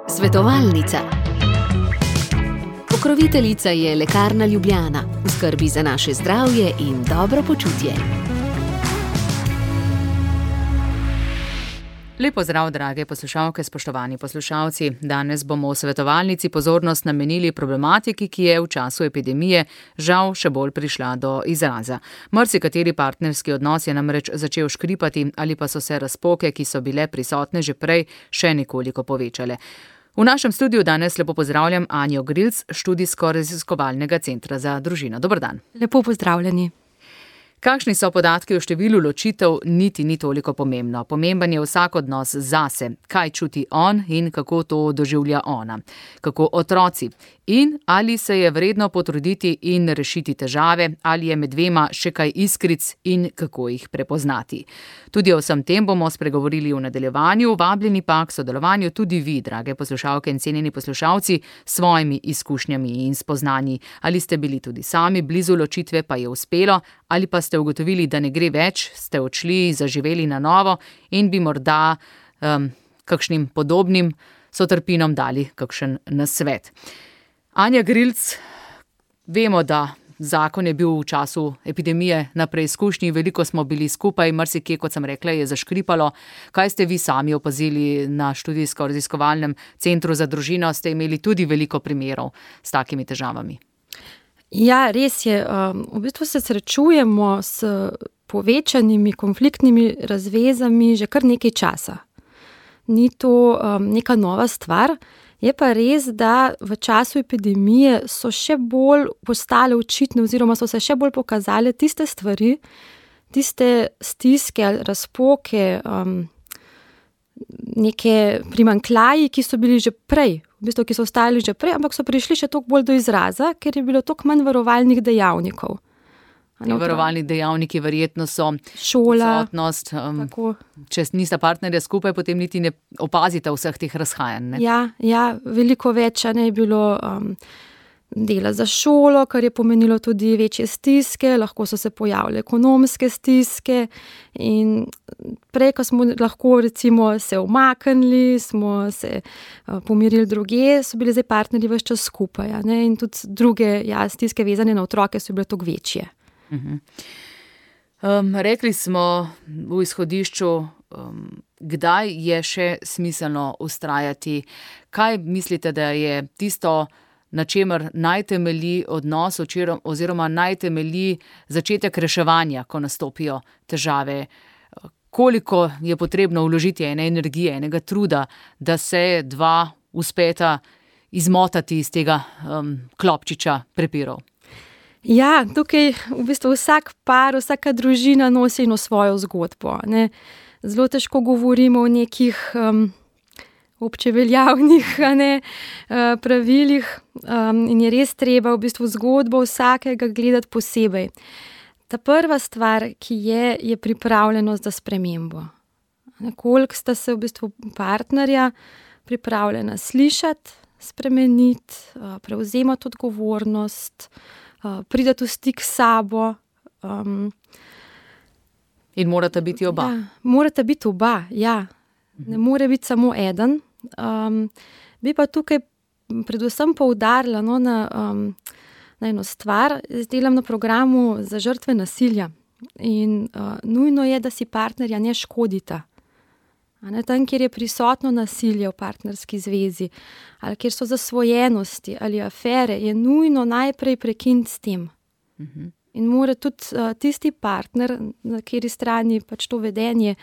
Svetovalnica. Pokroviteljica je Lekarna Ljubljana, v skrbi za naše zdravje in dobro počutje. Lep pozdrav, drage poslušalke, spoštovani poslušalci. Danes bomo v svetovalnici pozornost namenili problematiki, ki je v času epidemije žal še bolj prišla do izraza. Marsikateri partnerski odnos je namreč začel škripati ali pa so se razpoke, ki so bile prisotne že prej, še nekoliko povečale. V našem studiu danes lepo pozdravljam Anjo Grilc, študijsko-raziskovalnega centra za družino. Dober dan. Lepo pozdravljeni. Kakšni so podatki o številu ločitev, niti ni toliko pomembno. Pomemben je vsak odnos zase, kaj čuti on in kako to doživlja ona. Kako otroci. In ali se je vredno potruditi in rešiti težave, ali je med dvema še kaj iskric in kako jih prepoznati. Tudi o vsem tem bomo spregovorili v nadaljevanju, vabljeni pa k sodelovanju tudi vi, drage poslušalke in cenjeni poslušalci, s svojimi izkušnjami in spoznanji. Ali ste bili tudi sami blizu ločitve, pa je uspelo, ali pa ste ugotovili, da ne gre več, ste odšli, zaživeli na novo in bi morda kakšnim podobnim sotrpinom dali kakšen nasvet. Anja Grilc, vemo, da zakon je bil v času epidemije na preizkušnji, veliko smo bili skupaj, marsikje, kot sem rekla, je zaškripalo. Kaj ste vi sami opazili na študijsko-raziskovalnem centru za družino? Ste imeli tudi veliko primerov s takimi težavami? Ja, res je. V bistvu se srečujemo s povečanimi konfliktnimi razvezami že kar nekaj časa. Ni to neka nova stvar. Je pa res, da v času epidemije so še bolj postale očitne oziroma so se še bolj pokazale tiste stvari, tiste stiske ali razpoke, neke primanjkljaji, ki so bili že prej, v bistvu, ki so ostali že prej, ampak so prišli še toliko bolj do izraza, ker je bilo toliko manj varovalnih dejavnikov. Varovalni dejavniki verjetno so šola, odsotnost. Če nista partnerja skupaj, potem niti ne opazite vseh teh razhajanj. Ja, veliko več je bilo dela za šolo, kar je pomenilo tudi večje stiske, lahko so se pojavile ekonomske stiske in prej, ko smo lahko recimo se umaknili, smo se pomirili drugje, so bili zdaj partnerji ves čas skupaj, in tudi druge stiske vezane na otroke so bile toliko večje. Rekli smo v izhodišču, kdaj je še smiselno vztrajati. Kaj mislite, da je tisto, na čemer naj temelji odnos oziroma naj temelji začetek reševanja, ko nastopijo težave? Koliko je potrebno vložiti ene energije, enega truda, da se dva uspeta izmotati iz tega klopčiča prepirov? Ja, tukaj v bistvu vsak par, vsaka družina nosi eno svojo zgodbo. Zelo težko govorimo o nekih občeveljavnih pravilih in je res treba v bistvu zgodbo vsakega gledati posebej. Ta prva stvar, ki je pripravljenost za spremembo. Koliko sta se v bistvu partnerja pripravljena slišati, spremeniti, prevzemati odgovornost, pridati v stik s sabo. In morata biti oba. Ja, morata biti oba, ja. Ne more biti samo eden. Bi pa tukaj predvsem poudarila na eno stvar. Jaz delam na programu za žrtve nasilja in nujno je, da si partnerja ne škodita. Tam, kjer je prisotno nasilje v partnerski zvezi ali kjer so zasvojenosti ali afere, je nujno najprej prekiniti s tem. In mora tudi tisti partner, na kateri strani pač to vedenje,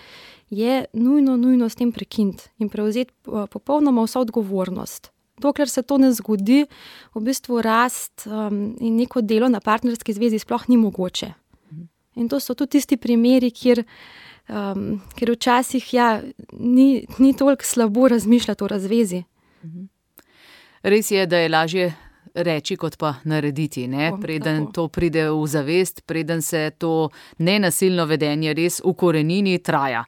je nujno s tem prekiniti in prevzeti popolnoma vso odgovornost. Dokler se to ne zgodi, v bistvu rast in neko delo na partnerski zvezi sploh ni mogoče. In to so tudi tisti primeri, kjer včasih ni toliko slabo razmišljati o razvezi. Res je, da je lažje reči, kot pa narediti, preden to pride v zavest, preden se to nenasilno vedenje res ukorenini, traja.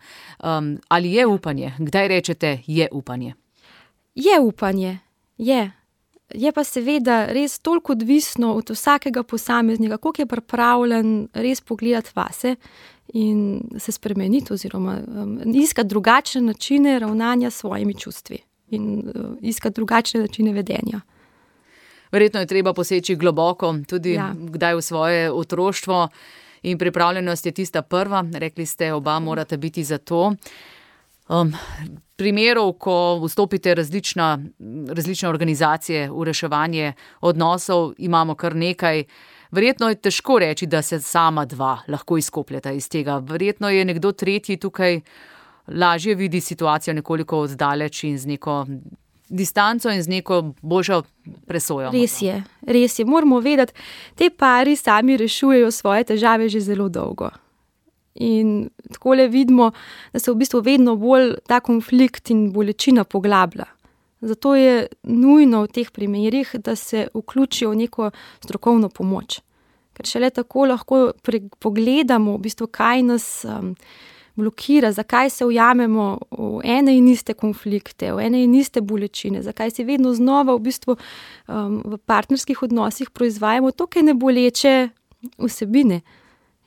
Ali je upanje? Kdaj rečete, je upanje? Je upanje, je. je pa seveda res toliko odvisno od vsakega posameznika, koliko je pripravljen res pogledati vase in se spremeniti oziroma iskati drugačne načine ravnanja s svojimi čustvi in iskati drugačne načine vedenja. Verjetno je treba poseči globoko, tudi kdaj v svoje otroštvo in pripravljenost je tista prva. Rekli ste, oba morate biti za to. Primerov, ko vstopite različne organizacije v reševanje odnosov, imamo kar nekaj. Verjetno je težko reči, da se sama dva lahko izkopljeta iz tega. Verjetno je nekdo tretji tukaj lažje vidi situacijo nekoliko oddaleč in z neko distanco in z neko boljšo presojo. Res je. Moramo vedeti, te pari sami rešujejo svoje težave že zelo dolgo. In takole vidimo, da se v bistvu vedno bolj ta konflikt in bolečina poglablja. Zato je nujno v teh primerih, da se vključijo v neko strokovno pomoč. Ker šele tako lahko pogledamo, v bistvu, kaj nas blokira, zakaj se ujamemo v ene in iste konflikte, v ene in iste bolečine, zakaj si vedno znova v bistvu v partnerskih odnosih proizvajamo toliko neboleče vsebine.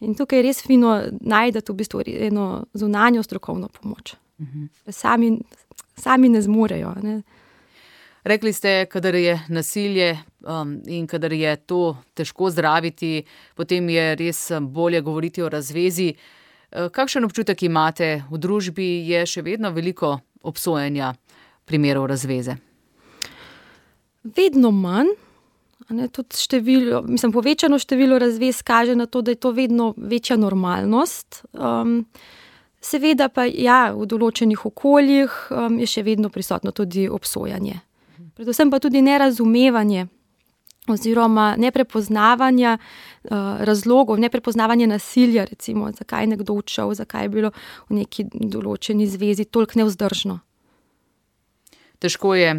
In tukaj je res fino najdeti v bistvu eno zunanjo strokovno pomoč. Sami ne zmorejo, ne. Rekli ste, kadar je nasilje in kadar je to težko zdraviti, potem je res bolje govoriti o razvezi. Kakšen občutek imate v družbi? Je še vedno veliko obsojenja primerov razveze? Vedno manj. Tudi povečano število razvez kaže na to, da je to vedno večja normalnost. Seveda pa v določenih okoljih je še vedno prisotno tudi obsojanje. Predvsem pa tudi nerazumevanje oziroma neprepoznavanje razlogov, neprepoznavanje nasilja, recimo, zakaj je nekdo odšel, zakaj je bilo v neki določeni zvezi toliko nevzdržno. Težko je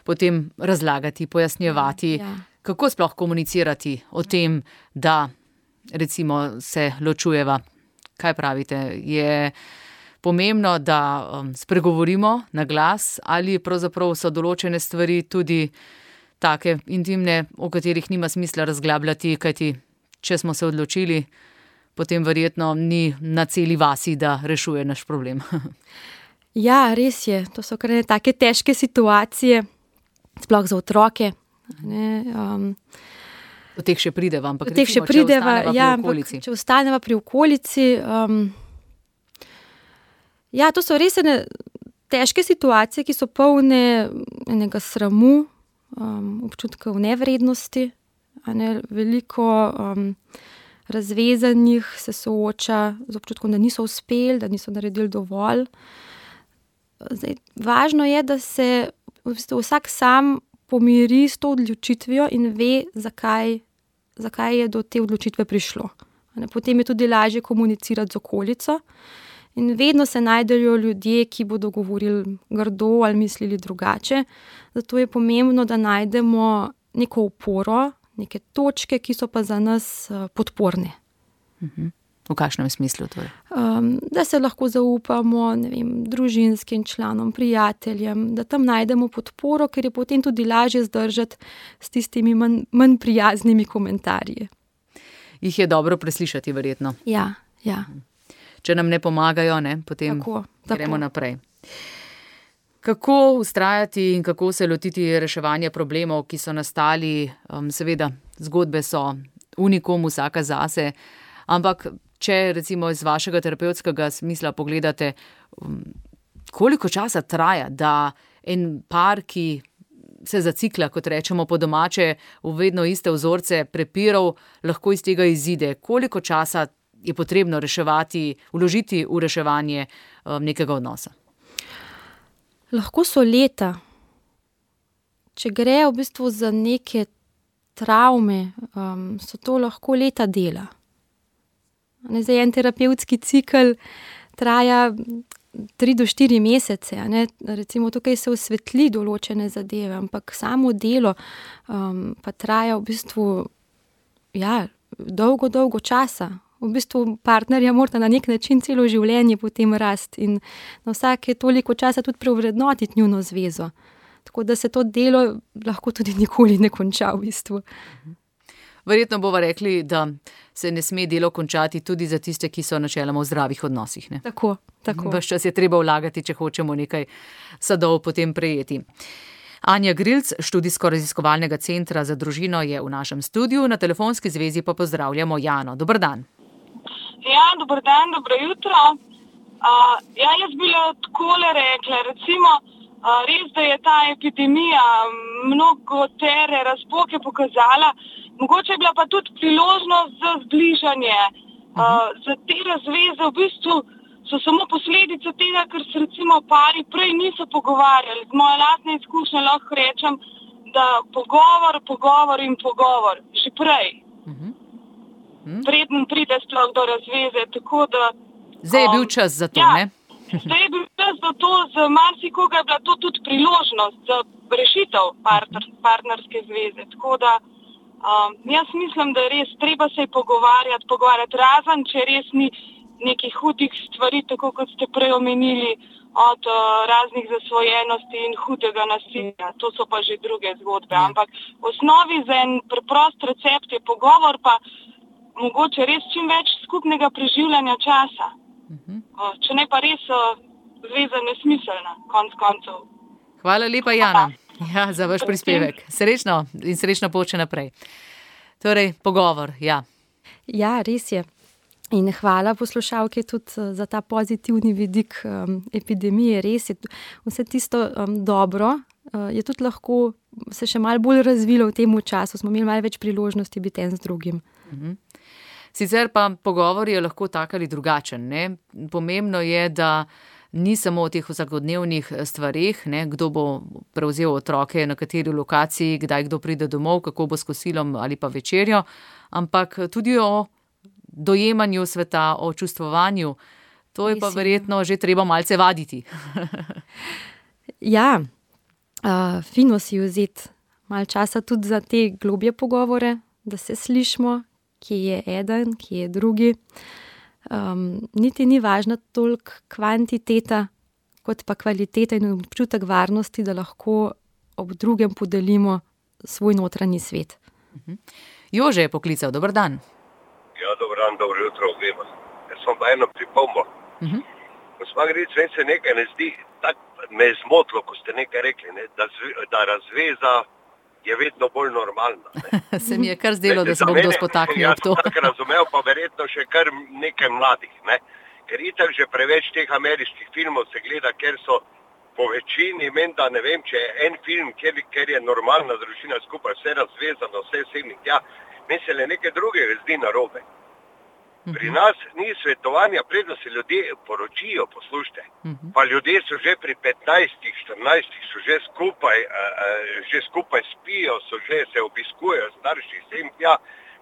potem razlagati, pojasnjevati, kako sploh komunicirati o tem, da recimo se ločujeva. Kaj pravite? Je pomembno, da spregovorimo na glas ali pravzaprav so določene stvari tudi take intimne, o katerih nima smisla razglabljati, kajti če smo se odločili, potem verjetno ni na celi vasi, da rešuje naš problem. Ja, res je. To so kar take težke situacije, sploh za otroke. Do teh še prideva, ampak če ostaneva pri okolici. To so res težke situacije, ki so polne enega sramu, občutkov nevrednosti. Veliko razvezanih se sooča z občutkom, da niso uspeli, da niso naredili dovolj. Važno je, da se v bistvu vsak sam pomiri s to odločitvijo in ve, zakaj je do te odločitve prišlo. Potem je tudi lažje komunicirati z okolico in vedno se najdejo ljudje, ki bodo govorili grdo ali mislili drugače. Zato je pomembno, da najdemo neko oporo, neke točke, ki so pa za nas podporne. V kakšnem smislu torej? Da se lahko zaupamo, družinskim članom, prijateljem, da tam najdemo podporo, ker je potem tudi lažje zdržati s tistimi manj prijaznimi komentarji. Jih je dobro preslišati, verjetno. Ja. Če nam ne pomagajo, potem gremo naprej. Kako vztrajati in kako se lotiti reševanja problemov, ki so nastali? Seveda, zgodbe so unikum, vsaka zase, ampak če recimo iz vašega terapevtskega smisla pogledate, koliko časa traja, da en par, ki se zacikla, kot rečemo po domače, v vedno iste vzorce prepirov, lahko iz tega izide? Koliko časa je potrebno vložiti v reševanje nekega odnosa? Lahko so leta. Če gre v bistvu za neke travme, so to lahko leta dela. Zdaj, en terapevtski cikel traja 3 do 4 mesece. Recimo tukaj se osvetli določene zadeve, ampak samo delo pa traja v bistvu dolgo časa. V bistvu partnerja morata na nek način celo življenje potem rasti in na vsake toliko časa tudi preovrednotiti njuno zvezo. Tako da se to delo lahko tudi nikoli ne konča v bistvu. Verjetno bova rekli, da se ne sme delo končati tudi za tiste, ki so načeloma v zdravih odnosih. Ne? Tako. Ves čas je treba vlagati, če hočemo nekaj sadov potem prejeti. Anja Grilc, študijsko-raziskovalnega centra za družino, je v našem studiu, na telefonski zvezi pa pozdravljamo Jano. Dober dan. Ja, dober dan, dobro jutro. Jaz bi takole rekla, recimo, res, da je ta epidemija mnogotere razpoke pokazala, mogoče je bila pa tudi priložnost za zbližanje. Za te razveze v bistvu so samo posledice tega, ker se recimo pari prej niso pogovarjali. Z moje lastne izkušnje lahko rečem, da pogovor in pogovor. Že prej. Preden pride sploh do razveze. Tako da, zdaj je bil čas za to, ne? Zdaj je bil čas za to, za marsikoga je bila to tudi priložnost za rešitev partnerske zveze. Tako da jaz mislim, da je res treba se pogovarjati razen, če res ni nekih hudih stvari, tako kot ste prej omenili, od raznih zasvojenosti in hudega nasilja. To so pa že druge zgodbe. Ampak v osnovi za en preprost recept je pogovor, pa mogoče res čim več skupnega preživljanja časa. Če ne pa res zveza nesmiselna, konc koncev. Hvala lepa, Jana, za vaš prispevek. Srečno in srečno pot še naprej. Torej, pogovor, ja. Ja, res je. In hvala poslušalke tudi za ta pozitivni vidik epidemije. Res je vse tisto dobro, je tudi lahko se še malo bolj razvilo v tem času. Smo imeli malo več priložnosti biti en z drugim. Sicer pa pogovor je lahko tak ali drugačen. Ne? Pomembno je, da ni samo o teh vsakodnevnih stvareh, ne? Kdo bo prevzel otroke na kateri lokaciji, kdaj kdo pride domov, kako bo s kosilom ali pa večerjo, ampak tudi o dojemanju sveta, o čustvovanju. To je pa verjetno že treba malce vaditi. Ja, fino si vzeti malo časa tudi za te globje pogovore, da se slišimo, kje je eden, kje je drugi. Niti ni važna toliko kvantiteta, kot pa kvaliteta in občutek varnosti, da lahko ob drugem podelimo svoj notranji svet. Jože je poklical, dober dan. Ja, dober dan, dobro jutro obema. Jaz sem pa eno pripombo. Gospa Gric, meni se nekaj ne zdi, tako me je zmotilo, ko ste nekaj rekli, ne, da razveza je vedno bolj normalna. Ne. Se mi je kar zdelo, da se bo kdo spotaknil ob to. Jaz sem tako razumel, pa verjetno še kar nekaj mladih. Ne. Ker itak že preveč teh ameriških filmov se gleda, ker so po večini, menda ne vem, če je en film, ker je normalna družina skupaj, vse razvezano, vse sem in tja, meni se le nekaj drugega zdi narobe. Pri nas ni svetovanja, predno se ljudje poročijo, poslušajte. Pa ljudje so že pri 15, 14 so že skupaj spijo, se obiskujejo starši, sem tja,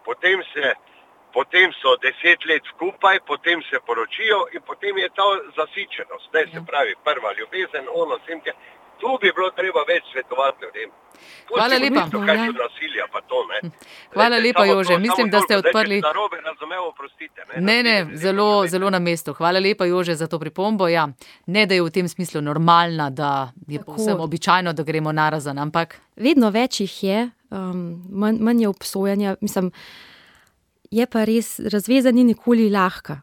potem so 10 let skupaj, potem se poročijo in potem je ta zasičenost. Ne, se pravi, prva ljubezen, ono, sem tja. Tu bi bilo treba več svetovati ljudem. Hvala lepa. Nasilja, pa to, ne. Hvala lepa, Jože. Mislim, da ste odprli. Narobe razumel, oprostite. Ne, zelo na mestu. Hvala lepa, Jože, za to pripombo. Ja, ne, da je v tem smislu normalna, da je povsem običajno, da gremo narazen, ampak. Vedno več jih je, manj je obsojanja. Mislim, je pa res, razveza ni nikoli lahka.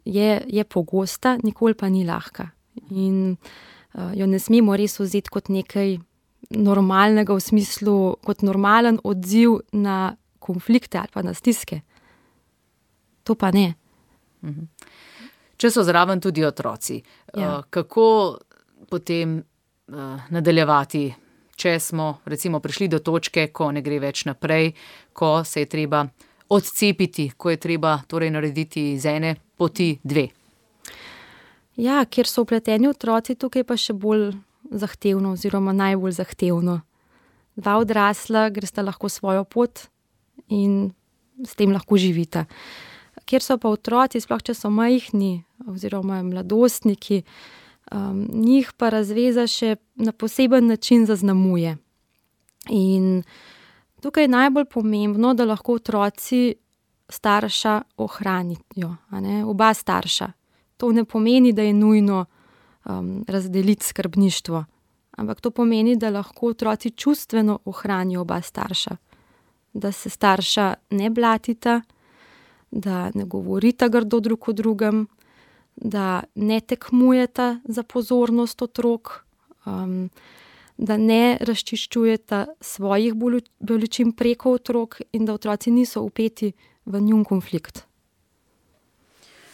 Je pogosta, nikoli pa ni lahka. In jo ne smemo res vzeti kot nekaj normalnega v smislu, kot normalen odziv na konflikte ali pa na stiske. To pa ne. Če so zraven tudi otroci, kako potem nadaljevati, če smo recimo prišli do točke, ko ne gre več naprej, ko se je treba odcepiti, ko je treba torej narediti z ene poti dve? Ja, kjer so vpleteni otroci, tukaj pa še bolj zahtevno oziroma najbolj zahtevno. Dva odrasla gresta lahko svojo pot in s tem lahko živita. Kjer so pa otroci, sploh če so majhni oziroma mladostniki, njih pa razveza še na poseben način zaznamuje. In tukaj je najbolj pomembno, da lahko otroci starša ohranijo, oba starša. To ne pomeni, da je nujno razdeliti skrbništvo ampak to pomeni, da lahko otroci čustveno ohranijo oba starša. Da se starša ne blatita, da ne govorita grdo drug o drugem, da ne tekmujeta za pozornost otrok, da ne razčiščujeta svojih bolečin preko otrok in da otroci niso vpeti v njun konflikt.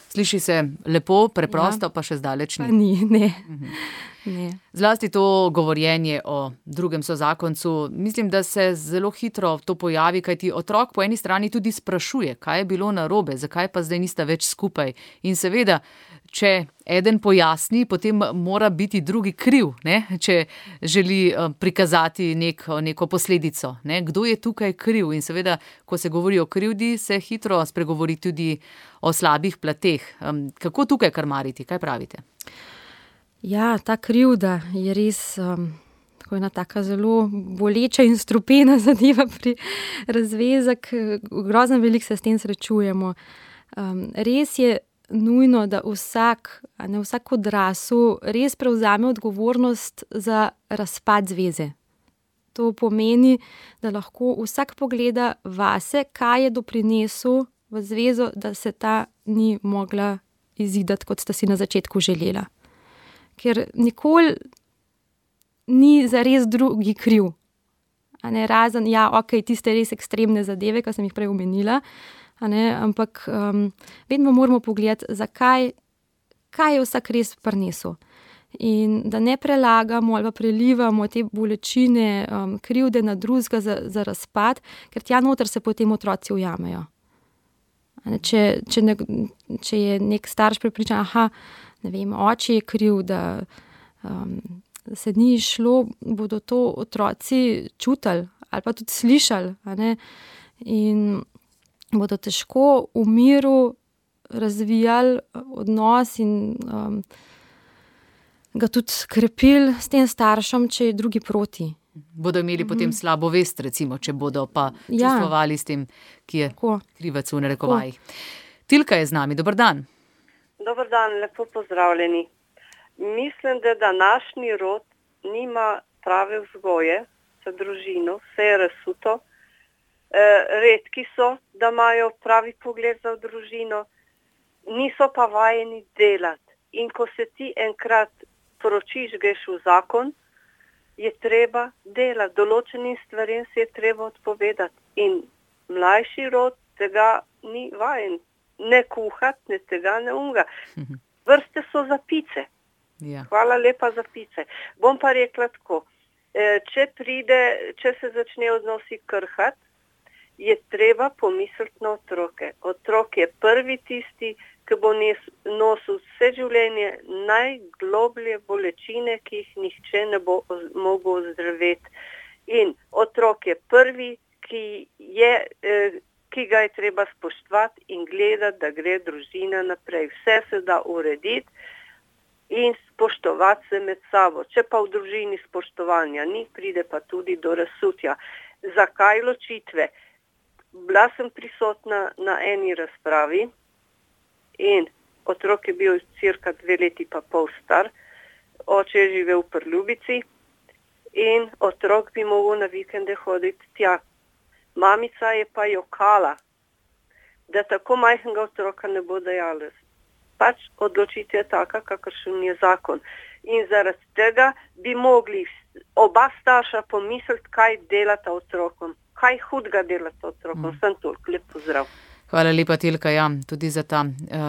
Sliši se lepo, preprosto, pa še zdaleč ni. Pa ni, ne. Ne. Zlasti to govorjenje o drugem sozakoncu, mislim, da se zelo hitro to pojavi, kajti otrok po eni strani tudi sprašuje, kaj je bilo narobe, zakaj pa zdaj nista več skupaj. In seveda, če eden pojasni, potem mora biti drugi kriv, ne? Če želi prikazati neko posledico. Ne? Kdo je tukaj kriv? In seveda, ko se govori o krivdi, se hitro spregovori tudi o slabih plateh. Kako tukaj karmariti? Kaj pravite? Ja, ta krivda je res ena taka zelo boleča in strupena zadeva pri razvezek. Grozno veliko se s tem srečujemo. Res je nujno, da vsak odrasel res prevzame odgovornost za razpad zveze. To pomeni, da lahko vsak pogleda vase, kaj je doprinesel v zvezo, da se ta ni mogla izidati, kot sta si na začetku želela. Ker nikoli ni zares drugi kriv. Razen, tiste res ekstremne zadeve, ki sem jih prej omenila, ampak vedno moramo pogledati, kaj je vsak res prinesel. In da ne prelagamo ali pa prelivamo te bolečine, krivde na drugega za razpad, ker tja noter se potem otroci ujamejo. Če je nek starš prepričan, oče je kriv, da se ni šlo, bodo to otroci čutili ali pa tudi slišali. In bodo težko v miru razvijali odnos in ga tudi krepili s tem staršem, če je drugi proti. Bodo imeli potem slabo vest, recimo, če bodo pa čustvovali s tem, ki je krivec v narekovajih. Tilka je z nami, dober dan. Dober dan, lepo pozdravljeni. Mislim, da današnji rod nima prave vzgoje za družino, vse je razsuto. Redki so, da imajo pravi pogled za družino, niso pa vajeni delati. In ko se ti enkrat poročiš, greš v zakon, je treba delati. Določenim stvarem se je treba odpovedati. In mlajši rod tega ni vajen. Ne kuhati, ne tega, ne unga. Vrste so za pice. Ja. Hvala lepa za pice. Bom pa rekla tako, če se začne odnosi krhati, je treba pomisliti na otroke. Otrok je prvi tisti, ki bo nosil vse življenje najgloblje bolečine, ki jih nihče ne bo mogel ozdraviti. In otrok je prvi, ki ga je treba spoštovati in gledati, da gre družina naprej. Vse se da urediti in spoštovati se med sabo. Če pa v družini spoštovanja ni, pride pa tudi do razsutja. Zakaj ločitve? Bila sem prisotna na eni razpravi in otrok je bil cirka 2 leti pa pol star, oče je živel v Prljubici in otrok bi mogel na vikende hoditi tja. Mamica je pa jokala, da tako majhnega otroka ne bo dajala. Pač odločitev je taka, kakršen je zakon. In zaradi tega bi mogli oba starša pomisliti, kaj delata otrokom. Kaj hudega delata otrokom. Sem toliko, lep pozdrav. Hvala lepa, Tilka, tudi za ta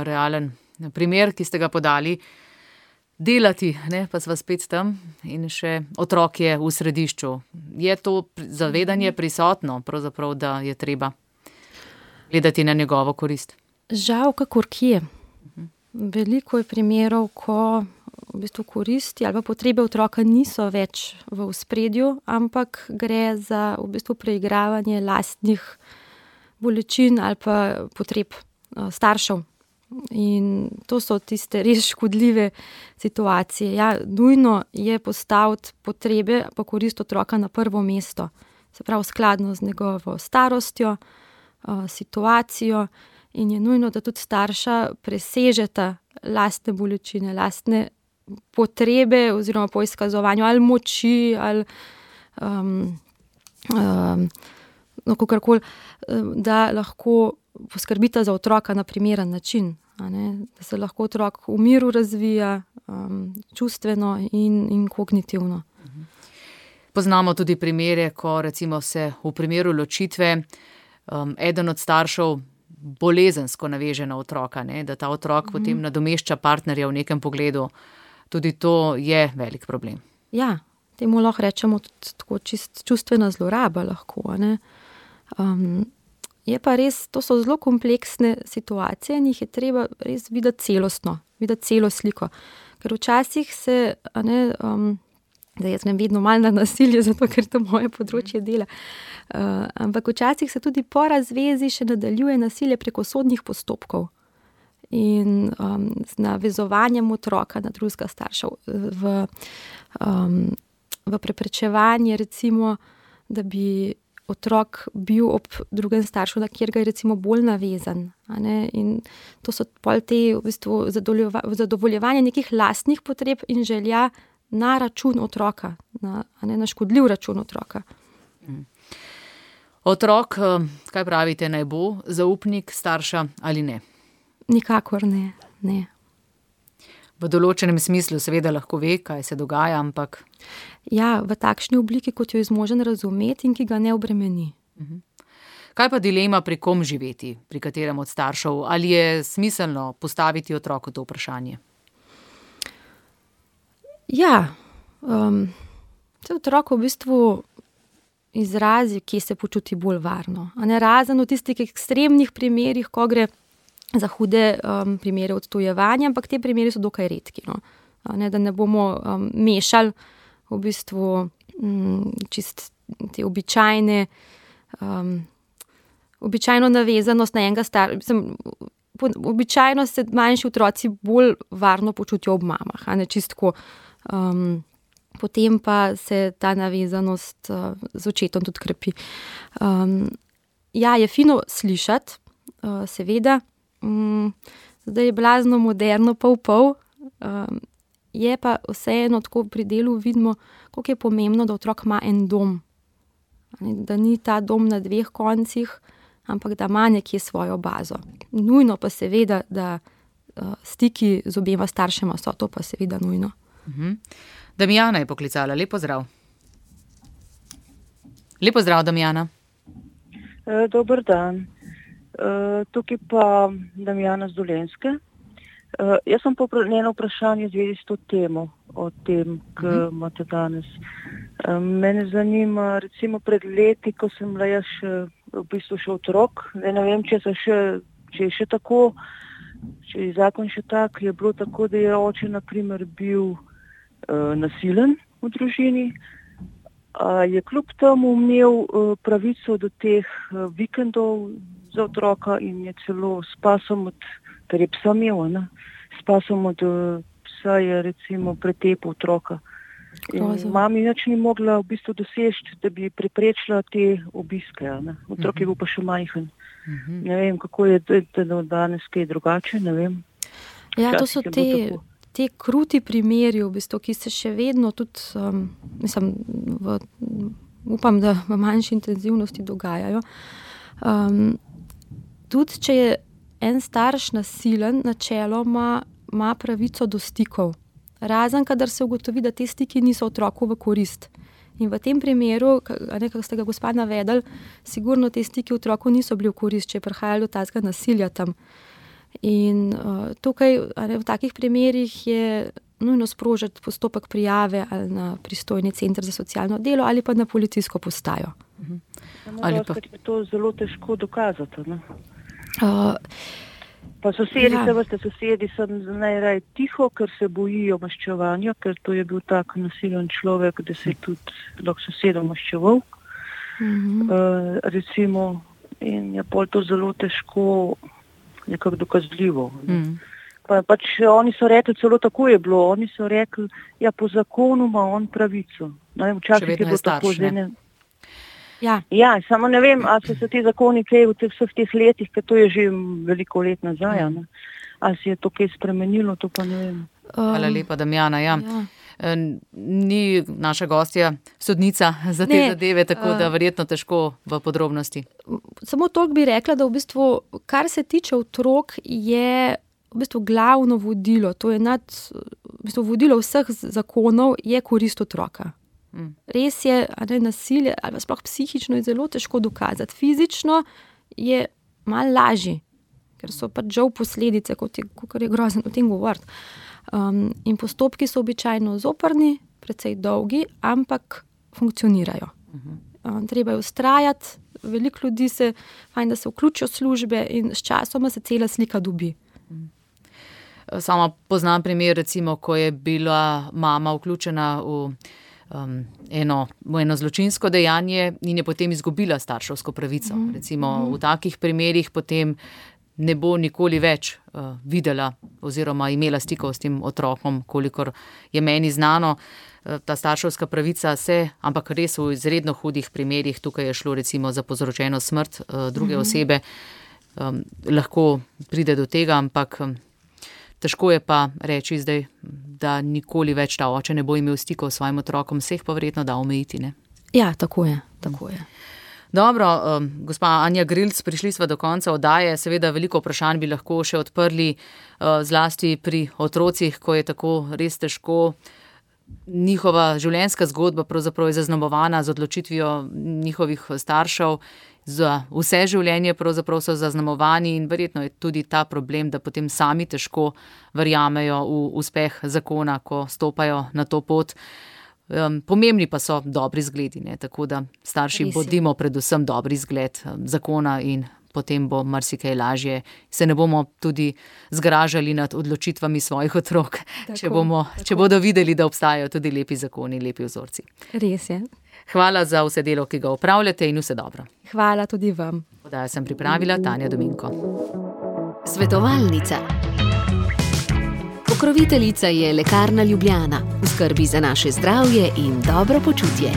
realen primer, ki ste ga podali. Delati, pa sva spet tam in še otrok je v središču. Je to zavedanje prisotno, pravzaprav, da je treba gledati na njegovo korist? Žal, kakor kje. Veliko je primerov, ko v bistvu koristi ali pa potrebe otroka niso več v ospredju, ampak gre za v bistvu preigravanje lastnih bolečin ali pa potreb staršev. In to so tiste res škodljive situacije. Nujno je postaviti potrebe pa korist otroka na prvo mesto. Se pravi, skladno z njegovo starostjo, situacijo in je nujno, da tudi starša presežeta lastne bolečine, lastne potrebe oziroma po izkazovanju ali moči ali kakorkoli, da lahko poskrbita za otroka na primeren način, da se lahko otrok v miru razvija, čustveno in kognitivno. Poznamo tudi primere, ko recimo se v primeru ločitve eden od staršev bolezensko naveže na otroka, da ta otrok potem nadomešča partnerja v nekem pogledu. Tudi to je velik problem. Ja, temu lahko rečemo tudi tako čustvena zloraba lahko, je pa res, to so zelo kompleksne situacije in jih je treba res videti celostno, videti celo sliko. Ker včasih se, da jaz grem vedno malo na nasilje, zato ker to moje področje dela, ampak včasih se tudi po razvezi še nadaljuje nasilje preko sodnih postopkov in z navezovanjem otroka na drugega starša v preprečevanje, recimo, da bi otrok bil ob drugem staršu, na kjer ga je recimo bolj navezan. In to so pol te v bistvu zadovoljevanje nekih lastnih potreb in želja na račun otroka, na škodljiv račun otroka. Otrok, kaj pravite, naj bo zaupnik starša ali ne? Nikakor ne. V določenem smislu seveda lahko ve, kaj se dogaja, ampak... Ja, v takšni obliki, kot jo je zmožen razumeti in ki ga ne obremeni. Kaj pa dilema, pri kom živeti, pri katerem od staršev? Ali je smiselno postaviti otroku to vprašanje? Ja, otrok v bistvu izrazi, kje se počuti bolj varno. Razen v tistih ekstremnih primerih, ko gre za hude primere odtujevanja, ampak te primeri so dokaj redki. Da ne bomo mešali v bistvu čist te običajno navezanost na enega običajno se manjši otroci bolj varno počutijo ob mamah, čistko. Potem pa se ta navezanost z očetom tudi krepi. Ja, je fino slišati, seveda, zdaj je blazno moderno pol, je pa vseeno tako pri delu vidimo, koliko je pomembno, da otrok ima en dom. Da ni ta dom na dveh koncih, ampak da ima nekje svojo bazo. Nujno pa seveda, da stiki z obema staršema so, to pa seveda nujno. Damjana je poklicala, lep pozdrav. Lep pozdrav, Damjana. Dober dan. Tukaj pa Damjana z Dolenjske. Jaz sem njeno vprašanje v zvezi s to temo, o tem, ki imate danes. Mene zanima, recimo pred leti, ko sem bila jaz v bistvu še otrok, ne vem, če je še tako, če je zakon še tak, je bilo tako, da je oče, na primer, bil nasilen v družini, je kljub temu imel pravico do teh vikendov za otroka in je celo s pasom ker je psa imel, s pasom od psa je recimo pretepil otroka. Mami nič ni mogla v bistvu doseči, da bi preprečila te obiske. Otrok je bil pa še majhen. Ne vem, kako je danes kaj drugače, ne vem. Ja, to so te kruti primeri, v bistvu, ki se še vedno tudi, upam, da v manjši intenzivnosti dogajajo. Tudi, če je en starš nasilen, načeloma ima pravico do stikov. Razen, kadar se ugotovi, da te stiki niso otroku v korist. In v tem primeru, kako ste ga gospa navedli, sigurno te stiki otroku niso bili v korist, če je prihajalo do takega nasilja tam. In tukaj v takih primerih je nujno sprožiti postopek prijave ali na pristojni center za socialno delo ali pa na policijsko postajo. Ali pa je to zelo težko dokazati, ne? Pa sosedi so najraje tiho, ker se bojijo maščevanja, ker to je bil tak nasilen človek, da se je tudi lahko sosedom maščeval. Recimo, in je pol to zelo težko nekako dokazljivo. Pač oni so rekli, celo tako je bilo, oni so rekli, ja, po zakonu ima on pravico. Včasih je bilo tako žene. Ja, samo ne vem, ali so se ti zakoni kaj v vseh teh letih, ker to je že veliko let nazaj, ali se je to kaj spremenilo, to pa ne vem. Hvala lepa, Damjana. Ja. Ni naša gostja sodnica za te zadeve, tako da verjetno težko v podrobnosti. Samo toliko bi rekla, da v bistvu, kar se tiče otrok, je v bistvu glavno vodilo, to je vodilo vseh zakonov, je korist otroka. Res je, nasilje ali sploh psihično je zelo težko dokazati. Fizično je malo lažje, ker so pač žal posledice, kot je grozno o tem govoriti. In postopki so običajno zoprni, precej dolgi, ampak funkcionirajo. Treba je vztrajati, veliko ljudi fajn, da se vključijo v službe in s časoma se cela slika dobi. Sama poznam primer, recimo, ko je bila mama vključena v eno zločinsko dejanje in je potem izgubila starševsko pravico. Recimo v takih primerih potem ne bo nikoli več videla oziroma imela stikov s tem otrokom, kolikor je meni znano. Ta starševska pravica ampak res v izredno hudih primerih, tukaj je šlo recimo za povzročeno smrt druge osebe, lahko pride do tega, ampak težko je pa reči zdaj, da nikoli več ta oče ne bo imel stikov s svojim otrokom, vseh pa verjetno da omejiti, ne? Ja, tako je. Dobro, gospa Anja Grilc, prišli sva do konca oddaje, seveda veliko vprašanj bi lahko še odprli, zlasti pri otrocih, ko je tako res težko. Njihova življenjska zgodba pravzaprav je zaznamovana z odločitvijo njihovih staršev, za vse življenje pravzaprav so zaznamovani in verjetno je tudi ta problem, da potem sami težko verjamejo v uspeh zakona, ko stopajo na to pot. Pomembni pa so dobri zgledi, ne? Tako da starši bodimo predvsem dobri zgled zakona in potem bo marsikaj lažje. Se ne bomo tudi zgražali nad odločitvami svojih otrok, če bodo videli, da obstajajo tudi lepi zakoni, lepi vzorci. Res je. Hvala za vse delo, ki ga opravljate in vse dobro. Hvala tudi vam. Oddajo sem pripravila Tanja Dominko. Svetovalnica. Pokroviteljica je Lekarna Ljubljana, v skrbi za naše zdravje in dobro počutje.